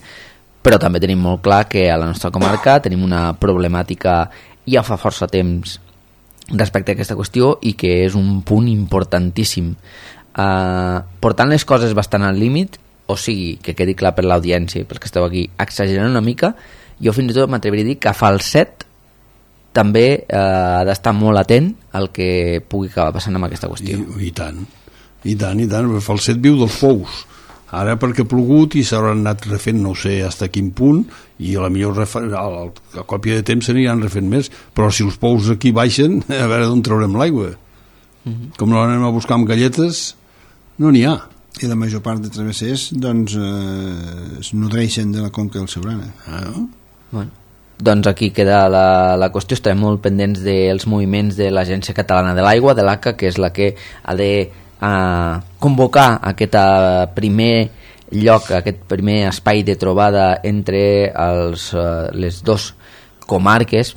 però també tenim molt clar que a la nostra comarca tenim una problemàtica ja fa força temps respecte a aquesta qüestió i que és un punt importantíssim. Eh, portant les coses bastant al límit, o sigui, que quedi clar per l'audiència i pels que esteu aquí, exagerant una mica, jo fins i tot m'atreviria a dir que Falset també eh, ha d'estar molt atent al que pugui acabar passant amb aquesta qüestió. I, i tant, i tant, i tant. Falset viu dels pous. Ara perquè ha plogut i s'hauran anat refent, no sé fins a quin punt, i a la millor refer... a, la, a còpia de temps s'aniran refent més, però si els pous aquí baixen, a veure d'on traurem l'aigua. Mm-hmm. Com no l'anem a buscar amb galletes, no n'hi ha. I la major part de travessers doncs eh, es nodreixen de la conca del Siurana. Ah, no? Bueno, doncs aquí queda la, la qüestió. Estem molt pendents dels moviments de l'Agència Catalana de l'Aigua, de l'A C A, que és la que ha de eh, convocar aquest primer lloc, aquest primer espai de trobada entre els, eh, les dos comarques.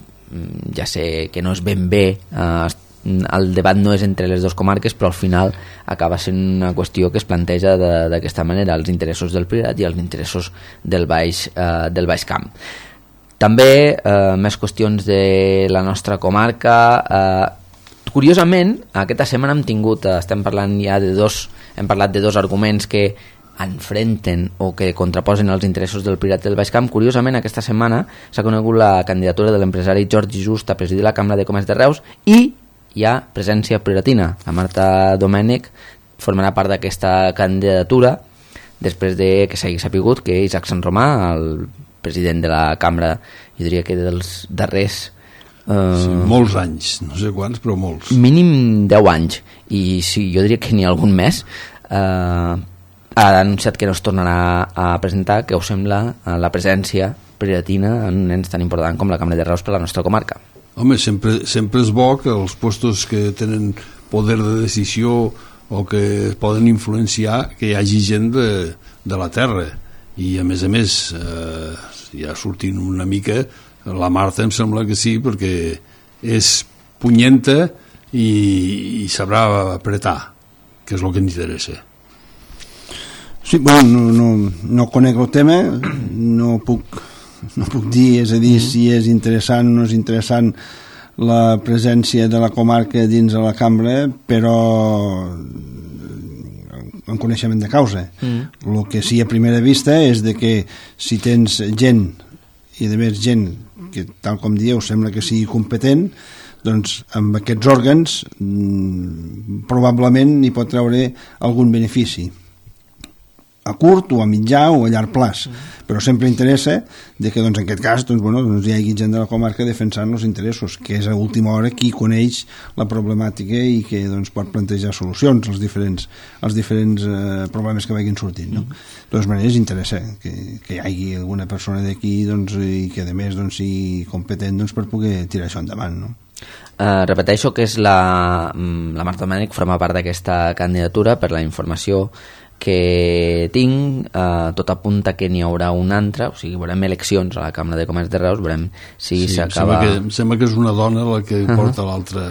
Ja sé que no és ben bé, eh, el debat no és entre les dues comarques, però al final acaba sent una qüestió que es planteja d'aquesta manera, els interessos del Priorat i els interessos del Baix, eh, del Baix Camp. També eh, més qüestions de la nostra comarca. Eh, curiosament, aquesta setmana hem tingut, eh, estem parlant ja de dos, hem parlat de dos arguments que enfrenten o que contraposen els interessos del Priorat del Baix Camp. Curiosament, aquesta setmana s'ha conegut la candidatura de l'empresari Jordi Just a presidir la Cambra de Comerç de Reus i hi ha presència prioratina. La Marta Domènech formarà part d'aquesta candidatura després de que s'hagi sapigut que Isaac Sant Romà, el president de la cambra, jo diria que dels darrers Uh, sí, molts anys, no sé quants, però molts. Mínim deu anys, i sí, jo diria que n'hi ha algun més. Uh, ha anunciat que no es tornarà a presentar, que us sembla la presència prioritina en un ens tan important com la Cambra de Reus per la nostra comarca. Home, sempre, sempre és bo que els puestos que tenen poder de decisió o que poden influenciar, que hi hagi gent de, de la terra, i a més a més eh, ja sortint una mica, la Marta em sembla que sí, perquè és punyenta i, i sabrà apretar, que és el que ens interessa. Sí, bueno, no, no, no conec el tema, no puc, no puc dir, és a dir, mm. si és interessant o no és interessant la presència de la comarca dins de la cambra, però en coneixement de causa. Mm. El que sí a primera vista és de que si tens gent, i a més gent que tal com dieu sembla que sigui competent, doncs amb aquests òrgans mmm, probablement n'hi pot treure algun benefici a curt o a mitjà o a llarg plaç, mm. però sempre interessa de que doncs, en aquest cas doncs, bueno, doncs hi hagi gent de la comarca defensant els interessos, que és a última hora qui coneix la problemàtica i que doncs, pot plantejar solucions als diferents, als diferents eh, problemes que vagin sortint, no? Mm. De totes maneres interessa que, que hi hagi alguna persona d'aquí doncs, i que a més doncs, sigui competent doncs, per poder tirar això endavant, no? Uh, repeteixo que és la, la Marta Domènech, forma part d'aquesta candidatura. Per la informació que tinc, uh, tot apunta que n'hi haurà una altra, o sigui, veurem eleccions a la Cambra de Comerç de Reus, veurem si sí, s'acaba... Em sembla, que, em sembla que és una dona la que uh-huh. porta l'altra...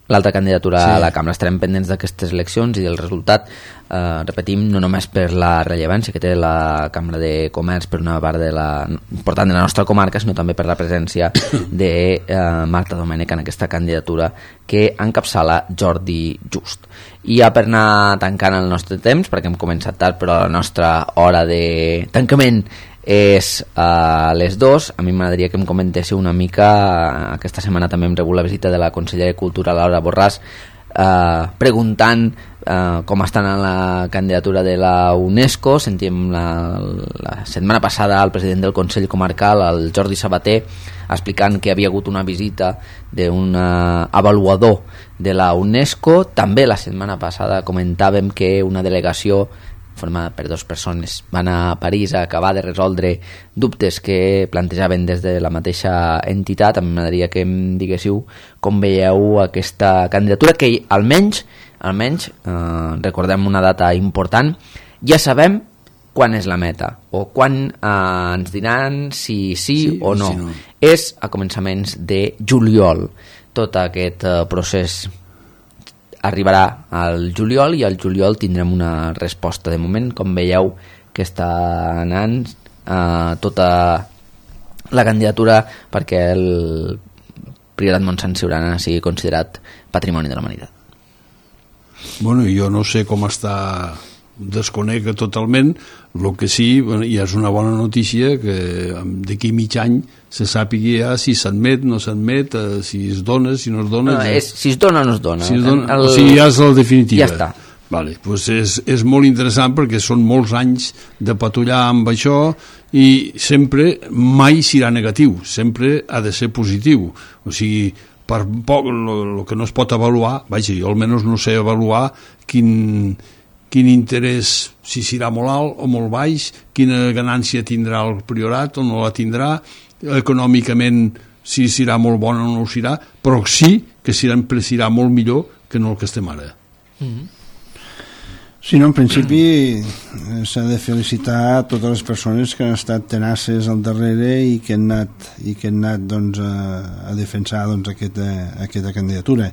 l'altra candidatura sí. a la Cambra. Estarem pendents d'aquestes eleccions i del resultat, eh, repetim, no només per la rellevància que té la Cambra de Comerç per una part de la, important de la nostra comarca, sinó també per la presència de eh, Marta Domènech en aquesta candidatura que encapçala Jordi Just. I ja per anar tancant el nostre temps, perquè hem començat tard, però la nostra hora de tancament és a les dos. A mi m'agradaria que em comentéssiu una mica, aquesta setmana també hem rebut la visita de la consellera de Cultura Laura Borràs, eh, preguntant eh, com estan en la candidatura de la UNESCO. Sentíem la, la setmana passada al president del Consell Comarcal, el Jordi Sabater, explicant que havia hagut una visita d'un avaluador de la UNESCO. També la setmana passada comentàvem que una delegació formada per dues persones van a París a acabar de resoldre dubtes que plantejaven des de la mateixa entitat. A mi m'agradaria que em diguéssiu com veieu aquesta candidatura, que almenys, almenys eh, recordem una data important, ja sabem quan és la meta, o quan eh, ens diran si sí, sí o no. Si no. És a començaments de juliol. Tot aquest eh, procés arribarà al juliol, i al juliol tindrem una resposta. De moment, com veieu, que està anant eh, tota la candidatura perquè el Priorat Montsant Siurana sigui considerat Patrimoni de la Humanitat. Bueno, jo no sé com està, desconec totalment. El que sí, bueno, ja és una bona notícia que d'aquí mig any se sàpiga ja si s'admet, no s'admet, eh, si es dona, si no es dona. No, és, si es dona o no es dona. Si es dona el... O sigui, ja és la definitiva. Ja està. Vale, pues és, és molt interessant perquè són molts anys de patrullar amb això i sempre, mai serà negatiu, sempre ha de ser positiu. O sigui, per poc, el que no es pot avaluar, vaja, jo almenys no sé avaluar quin... quin interès, si serà molt alt o molt baix, quina ganància tindrà el priorat o no la tindrà, econòmicament si serà molt bona o no ho serà, però sí que sempre serà molt millor que no el que estem ara. Mm-hmm. Sí, no, en principi s'ha de felicitar a totes les persones que han estat tenaces al darrere i que han anat, i que han anat doncs, a, a defensar doncs, aquesta, aquesta candidatura.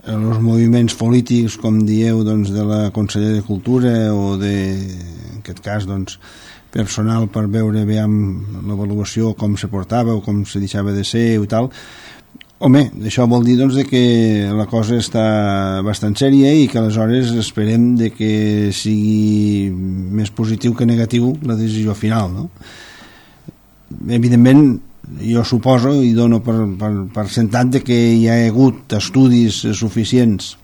Els moviments polítics, com dieu, doncs, de la Conselleria de Cultura o de, en aquest cas, doncs, personal per veure bé l'avaluació, com se portava o com se deixava de ser i tal. Home, això vol dir doncs, de que la cosa està bastant sèria i que aleshores esperem de que sigui més positiu que negatiu la decisió final, no? Evidentment, jo suposo i dono per, per, per sentat de que hi ha hagut estudis suficients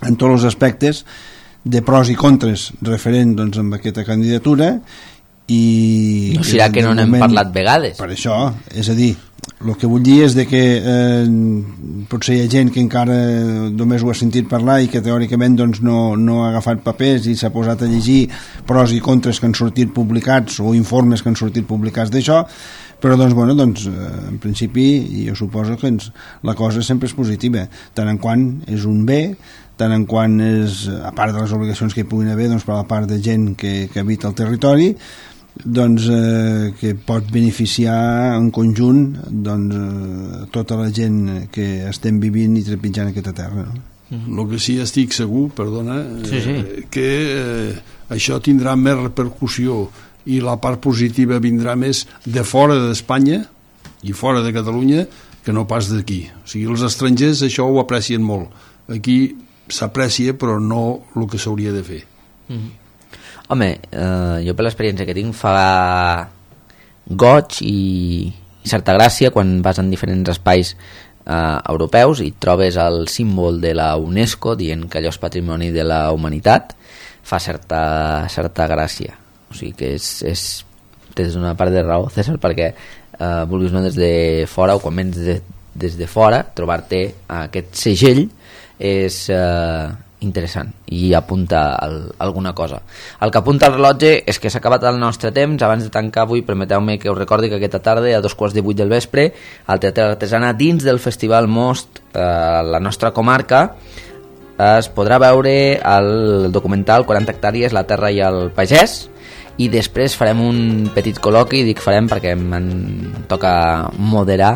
en tots els aspectes de pros i contres referent doncs, amb aquesta candidatura i... No serà que no n'hem moment, parlat vegades. Per això, és a dir, el que vull dir és de que eh, potser hi ha gent que encara només ho ha sentit parlar i que teòricament doncs, no, no ha agafat papers i s'ha posat a llegir pros i contres que han sortit publicats o informes que han sortit publicats d'això, però doncs, bueno, doncs, en principi jo suposo que ens, la cosa sempre és positiva, tant en quant és un bé, tant en quant és, a part de les obligacions que hi puguin haver doncs, per la part de gent que, que habita el territori, doncs, eh, que pot beneficiar en conjunt doncs, eh, tota la gent que estem vivint i trepitjant aquesta terra, no? El que sí estic segur, perdona, sí, sí. Eh, que eh, això tindrà més repercussió i la part positiva vindrà més de fora d'Espanya i fora de Catalunya que no pas d'aquí. O sigui, els estrangers això ho aprecien molt. Aquí s'aprecia però no el que s'hauria de fer. Mm-hmm. Home, eh, jo per l'experiència que tinc fa goig i, i certa gràcia quan vas en diferents espais eh, europeus i trobes el símbol de la UNESCO dient que allò és patrimoni de la humanitat, fa certa, certa gràcia. O sigui que és, és des d'una part de raó, César, perquè eh, vulguis no des de fora o quan vens de, des de fora, trobar-te aquest segell és eh, interessant i apunta el, alguna cosa. El que apunta el rellotge és que s'ha acabat el nostre temps. Abans de tancar avui, permeteu-me que us recordi que aquesta tarda a dos quarts de vuit del vespre al Teatre Artesana, dins del Festival Most, eh, la nostra comarca, es podrà veure el documental quaranta hectàrees, la terra i el pagès, i després farem un petit col·loqui, dic farem perquè em toca moderar,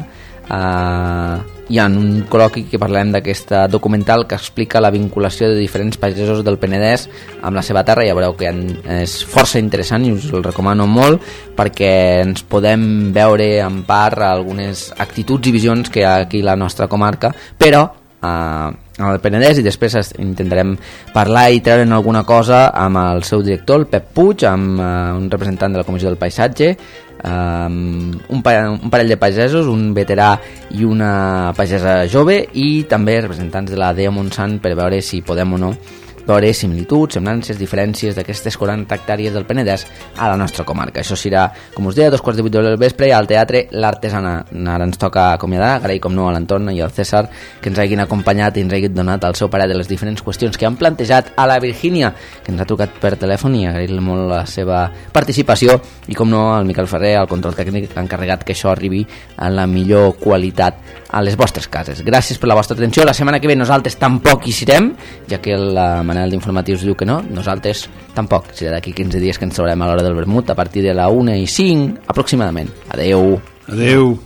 eh, hi ha un col·loqui que parlem d'aquest documental que explica la vinculació de diferents pagesos del Penedès amb la seva terra. Ja veureu que és força interessant i us el recomano molt perquè ens podem veure en part algunes actituds i visions que hi ha aquí a la nostra comarca, però eh, al Penedès, i després intentarem parlar i treure'n alguna cosa amb el seu director, el Pep Puig, amb uh, un representant de la Comissió del Paisatge, um, un, pa un parell de pagesos, un veterà i una pagesa jove, i també representants de la D E A Montsant per veure si podem o no veure similituds, semblances, diferències d'aquestes quaranta hectàrees del Penedès a la nostra comarca. Això serà, com us deia, a dos quarts de vuit del vespre al Teatre L'Artesana. Ara ens toca acomiadar, agrair com no a l'Anton i al César que ens hagin acompanyat i ens hagin donat el seu parer de les diferents qüestions que han plantejat, a la Virgínia, que ens ha trucat per telèfon, i agrair-li molt la seva participació, i com no al Miquel Ferrer, al control tècnic, encarregat que això arribi en la millor qualitat a les vostres cases. Gràcies per la vostra atenció. La setmana que ve nosaltres tampoc hi serem, ja que la Manel d'Informatius diu que no, nosaltres tampoc. Serà d'aquí quinze dies que ens trobarem a l'hora del vermut a partir de la una i cinc aproximadament. Adeu. Adeu.